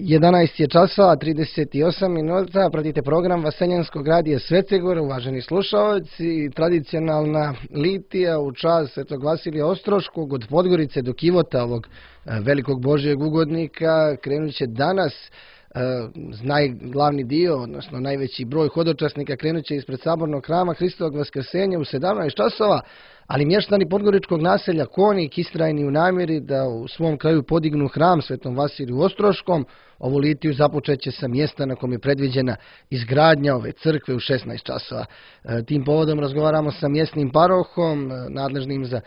11 je časova, 38 minuta, pratite program Vaseljenskog radija Svetogor, uvaženi slušalci, tradicionalna litija u čast Svetog Vasilija Ostroškog od Podgorice do Kivota, ovog velikog Božjeg ugodnika, krenut će danas. Glavni dio, odnosno najveći broj hodočasnika krenut će ispred sabornog hrama Hristovog Vaskrsenja u 17 časova, ali mještani podgoričkog naselja Konik istrajni u namjeri da u svom kraju podignu hram Svetom Vasiliju Ostroškom. Ovu litiju započeće sa mjesta na kom je predviđena izgradnja ove crkve u 16 časova. Tim povodom razgovaramo sa mjesnim parohom, nadležnim za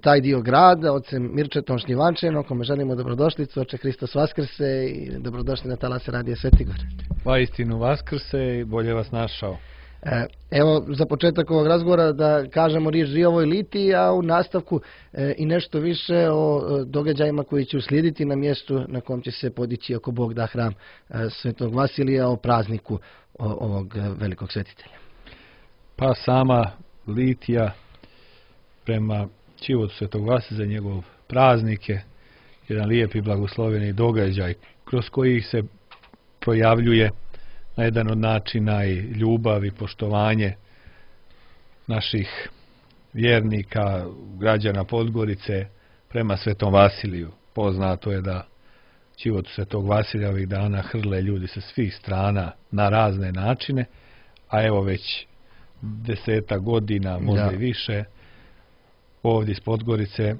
taj dio grada, ocem Mirčetom Šljivančenom, kome želimo dobrodošlicu, oče Hristos Vaskrse i dobrodošli na talase radija Svetigor. Pa istinu Vaskrse i bolje vas našao. Evo, za početak ovog razgovora da kažemo riječ i o ovoj litiji, a u nastavku i nešto više o događajima koji će uslijediti na mjestu na kom će se podići, ako Bog da, hram Svetog Vasilija, o prazniku ovog velikog svetitelja. Pa sama litija prema Čivotu Svetog Vasilija, njegov praznik je jedan lijep i blagosloveni događaj kroz koji se projavljuje na jedan od načina i ljubav i poštovanje naših vjernika, građana Podgorice prema Svetom Vasiliju. Poznato je da Čivotu Svetog Vasilija ovih dana hrle ljudi sa svih strana na razne načine, a evo već 10 godina, možda i više, ovdje iz Podgorice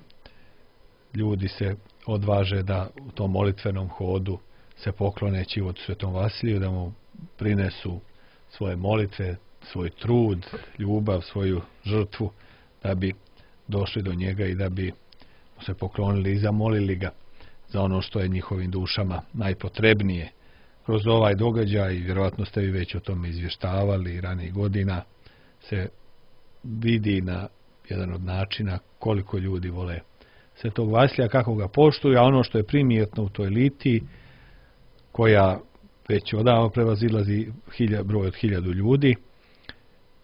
ljudi se odvaže da u tom molitvenom hodu se poklone Čivotu Svetom Vasiliju, da mu prinesu svoje molitve, svoj trud, ljubav, svoju žrtvu, da bi došli do njega i da bi mu se poklonili i zamolili ga za ono što je njihovim dušama najpotrebnije. Kroz ovaj događaj, vjerojatno ste vi već o tome izvještavali ranijih godina, se vidi na jedan od načina koliko ljudi vole Svetog Vasilija, kako ga poštuju, a ono što je primjetno u toj litiji, koja već odavno prevazilazi broj od 1000 ljudi,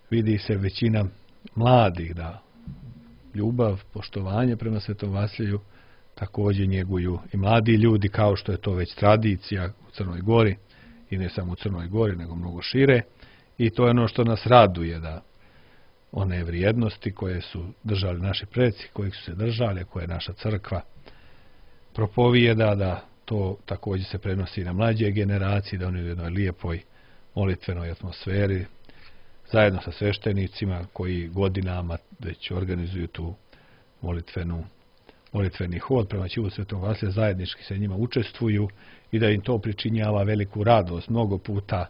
vidi se većina mladih da ljubav, poštovanje prema Svetom Vasiliju također njeguju i mladi ljudi, kao što je to već tradicija u Crnoj Gori, i ne samo u Crnoj Gori, nego mnogo šire, i to je ono što nas raduje, da one vrijednosti koje su držali naši preci, kojih su se držali, koje je naša crkva propovijeda, da to također se prenosi na mlađe generacije, da oni u jednoj lijepoj molitvenoj atmosferi, zajedno sa sveštenicima koji godinama već organizuju tu molitveni hod prema Čivotu Svetom Vasiliju, zajednički se njima učestvuju i da im to pričinjava veliku radost. Mnogo puta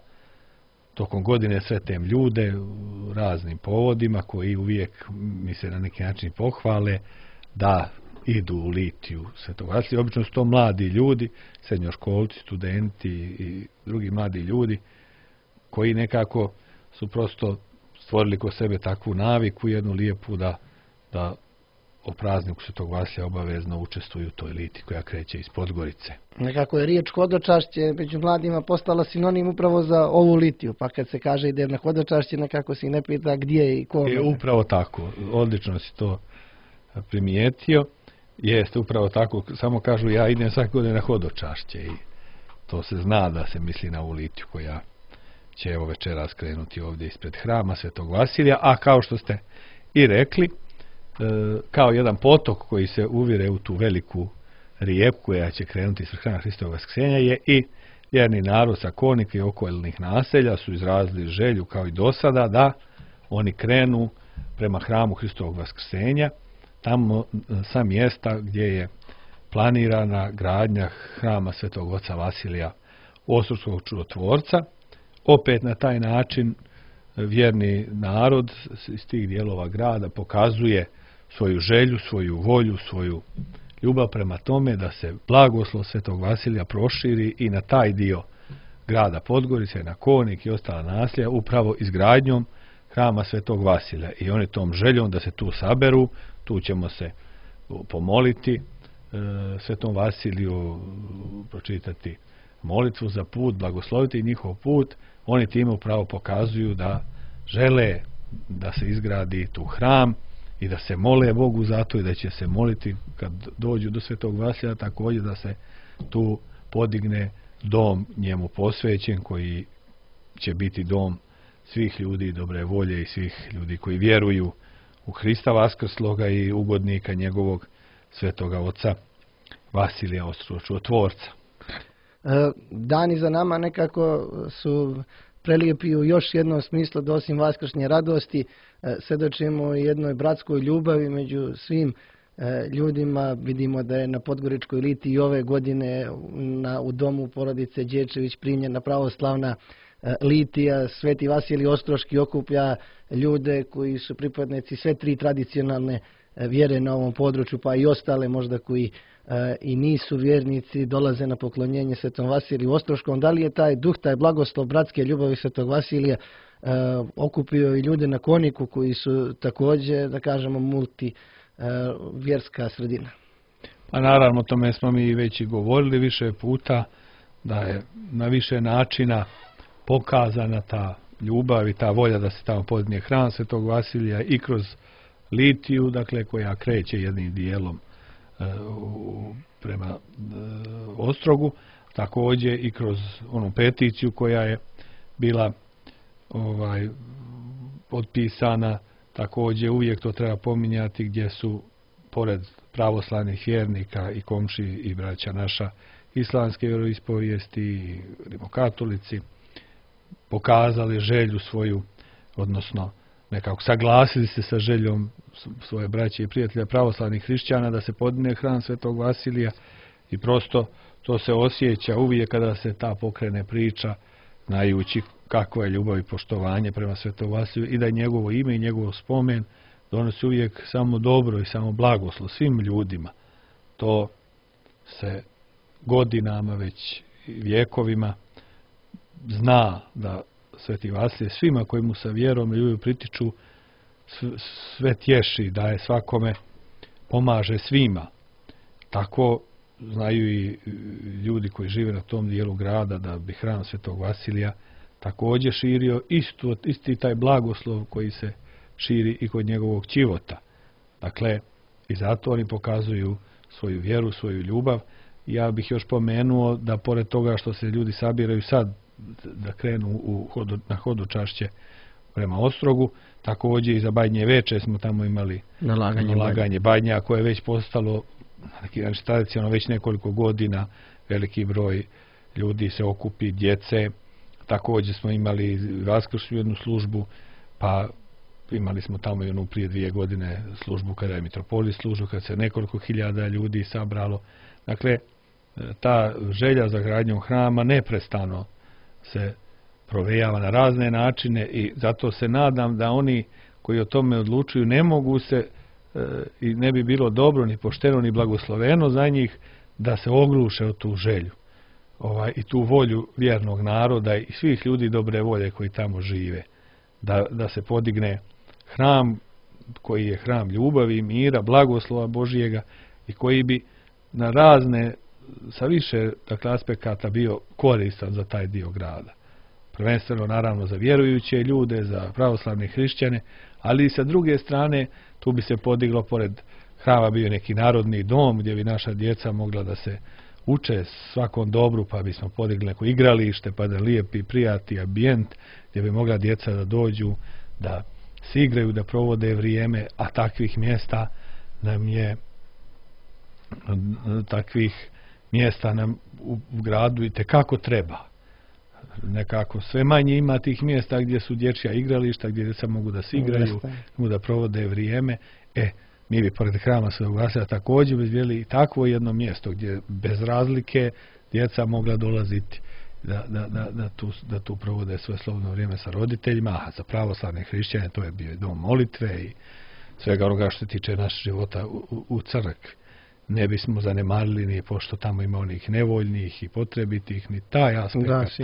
tokom godine sretem ljude u raznim povodima koji uvijek mi se na neki način pohvale da idu u litiju Svetog Vasilija. Obično su to mladi ljudi, srednjoškolci, studenti i drugi mladi ljudi koji nekako su prosto stvorili kod sebe takvu naviku, jednu lijepu da o prazniku Svetog Vasilija obavezno učestvuju u toj litiji koja kreće iz Podgorice. Nekako je riječ hodočašće među mladima postala sinonim upravo za ovu litiju, pa kad se kaže ide na hodočašće, nekako se i ne pita gdje i kome. Upravo tako, odlično si to primijetio. Jeste, upravo tako, samo kažu ja idem svake godine na hodočašće i to se zna da se misli na ovu litiju koja će evo večeras krenuti ovdje ispred hrama Svetog Vasilija, a kao što ste i rekli, kao jedan potok koji se uvire u tu veliku rijeku koja će krenuti ispred hrama Hristovog Vaskrsenja je i vjerni narod sa Konika i okolnih naselja su izrazili želju kao i do sada da oni krenu prema hramu Hristovog Vaskrsenja, tamo sa mjesta gdje je planirana gradnja hrama Svetog Oca Vasilija Ostroškog čudotvorca. Opet na taj način vjerni narod iz tih dijelova grada pokazuje svoju želju, svoju volju, svoju ljubav prema tome da se blagoslov Svetog Vasilija proširi i na taj dio grada Podgorice, na Konik i ostala naselja, upravo izgradnjom hrama Svetog Vasilija. I oni tom željom da se tu saberu, tu ćemo se pomoliti Svetom Vasiliju, pročitati molitvu za put, blagosloviti njihov put. Oni time upravo pokazuju da žele da se izgradi tu hram i da se mole Bogu za to i da će se moliti kad dođu do Svetog Vasilija također da se tu podigne dom njemu posvećen, koji će biti dom svih ljudi dobre volje i svih ljudi koji vjeruju u Hrista Vaskrsloga i ugodnika njegovog svetoga oca Vasilija Ostročutvorca. Dani za nama nekako su prelijepi u još jednom smislu, da osim vaskršnje radosti svjedočimo jednoj bratskoj ljubavi među svim ljudima. Vidimo da je na Podgoričkoj Liti i ove godine u domu porodice Đečević primljena pravoslavna litija. Sveti Vasilij Ostroški okuplja ljude koji su pripadnici sve tri tradicionalne vjere na ovom području, pa i ostale možda koji i nisu vjernici, dolaze na poklonjenje Svetom Vasiliju Ostroškom. Da li je taj duh, taj blagoslov bratske ljubavi Svetog Vasilija okupio i ljude na Koniku koji su također, da kažemo, multivjerska sredina? Pa naravno, o tome smo mi već i govorili više puta, da je na više načina pokazana ta ljubav i ta volja da se tamo podigne hram Svetog Vasilija i kroz litiju, dakle, koja kreće jednim dijelom prema Ostrogu, također i kroz onu peticiju koja je bila potpisana, također uvijek to treba pominjati, gdje su pored pravoslavnih vjernika i komši i braća naša islamske vjeroispovijesti i rimokatolici pokazali želju svoju, odnosno nekako saglasili se sa željom svoje braće i prijatelja pravoslavnih hrišćana da se podigne hram Svetog Vasilija, i prosto to se osjeća uvijek kada se ta pokrene priča, znajući kakva je ljubav i poštovanje prema Svetom Vasiliju i da je njegovo ime i njegov spomen donosi uvijek samo dobro i samo blagoslov svim ljudima. To se godinama, već vjekovima zna da Sveti Vasilije svima koji mu sa vjerom i ljubavlju pritiču sve tješi, daje svakome, pomaže svima. Tako znaju i ljudi koji žive na tom dijelu grada da bi hram Svetog Vasilija također širio isti taj blagoslov koji se širi i kod njegovog ćivota. Dakle, i zato oni pokazuju svoju vjeru, svoju ljubav. Ja bih još pomenuo da pored toga što se ljudi sabiraju sad da krenu na hodočašće prema Ostrogu, također i za Badnje veče smo tamo imali nalaganje badnja, koje je već postalo neki način tradicionalno već nekoliko godina. Veliki broj ljudi se okupi, djece. Također smo imali vaskršnju jednu službu, pa imali smo tamo i onu prije 2 godine službu kada je mitropolit služio, kada se nekoliko hiljada ljudi sabralo. Dakle, ta želja za gradnjom hrama neprestano se provejava na razne načine, i zato se nadam da oni koji o tome odlučuju ne mogu se i ne bi bilo dobro ni pošteno ni blagosloveno za njih da se ogluše o tu želju i tu volju vjernog naroda i svih ljudi dobre volje koji tamo žive, da se podigne hram koji je hram ljubavi, mira, blagoslova Božijega i koji bi na razne, sa više aspekata bio koristan za taj dio grada. Prvenstveno naravno za vjerujuće ljude, za pravoslavne hrišćane, ali i sa druge strane tu bi se podiglo, pored hrama bio neki narodni dom gdje bi naša djeca mogla da se uče svakom dobru, pa bismo podigli neko igralište, pa da lijepi, prijatni ambijent gdje bi mogla djeca da dođu, da se igraju, da provode vrijeme, a takvih mjesta nam u gradu itekako treba. Nekako sve manje ima tih mjesta gdje su dječja igrališta, gdje djeca mogu da se igraju, mogu da provode vrijeme. Mi bi pored hrama Svetog Vasilija također izvijeli i takvo jedno mjesto gdje bez razlike djeca mogla dolaziti da tu provode svoje slobodno vrijeme sa roditeljima, a za pravoslavne hrišćane to je bio dom molitve i svega onoga što tiče našeg života u crkvi. Ne bismo zanemarili ni pošto tamo ima onih nevoljnih i potrebitih, ni taj aspekt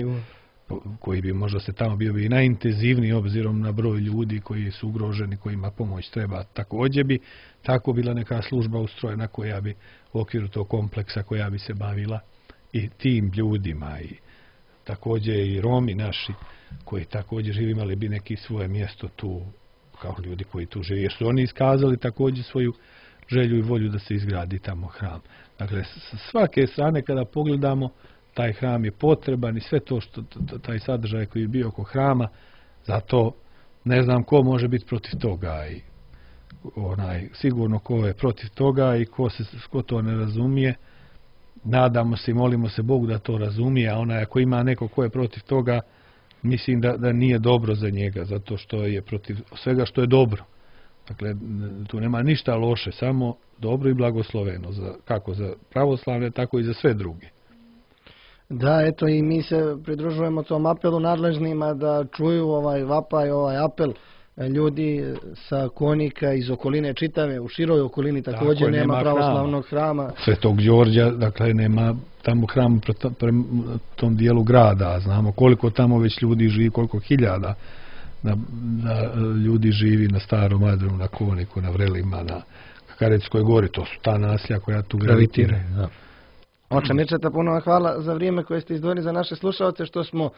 koji bi možda se tamo bio i najintenzivniji obzirom na broj ljudi koji su ugroženi, kojima pomoć treba. Također bi tako bila neka služba ustrojena koja bi u okviru tog kompleksa koja bi se bavila i tim ljudima, i također i Romi naši koji također živi imali bi neki svoje mjesto tu kao ljudi koji tu žive, jer su oni iskazali također svoju želju i volju da se izgradi tamo hram. Dakle, s svake strane kada pogledamo, taj hram je potreban i sve to što taj sadržaj koji je bio oko hrama, zato ne znam ko može biti protiv toga i sigurno ko je protiv toga i ko to ne razumije. Nadamo se i molimo se Bogu da to razumije, a ako ima neko ko je protiv toga, mislim da nije dobro za njega, zato što je protiv svega što je dobro. Dakle, tu nema ništa loše, samo dobro i blagosloveno, kako za pravoslavne, tako i za sve druge. Da, eto i mi se pridružujemo tom apelu nadležnima da čuju ovaj vapaj, ovaj apel ljudi sa Konika iz okoline čitave, u široj okolini također nema pravoslavnog hrama. Svetog Đorđa, dakle nema tamo hram prema tom dijelu grada, znamo koliko tamo već ljudi živi, koliko hiljada ljudi živi na Starom Adru, na Koniku, na Vrelima, na Kakareckoj gori, to su ta naselja koja tu gravitiraju. Oče Mirčeta, puno vam hvala za vrijeme koje ste izdvojili za naše slušalce, što smo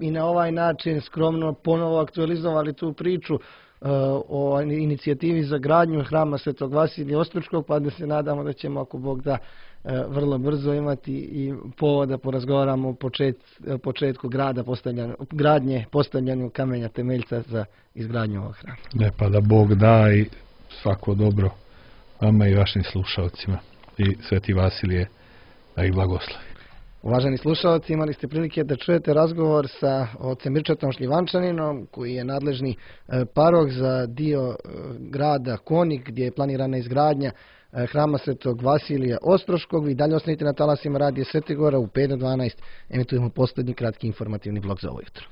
i na ovaj način skromno ponovo aktualizovali tu priču o inicijativi za gradnju hrama Svetog Vasilija Ostroškog, pa da se nadamo da ćemo, ako Bog da, vrlo brzo imati i povoda porazgovaramo o početku gradnje, postavljanju kamenja temeljca za izgradnju ovog hrama. Ne, pa da Bog da i svako dobro vama i vašim slušalcima i Sveti Vasilije da ih blagoslovi. Uvaženi slušalci, imali ste prilike da čujete razgovor sa ocem Mirčetom Šljivančaninom, koji je nadležni parok za dio grada Konik, gdje je planirana izgradnja hrama Svetog Vasilija Ostroškog. Vi dalje ostanite na talasima radija Svetigora, u 5 do 12 emitujemo posljednji kratki informativni blog za ovo jutro.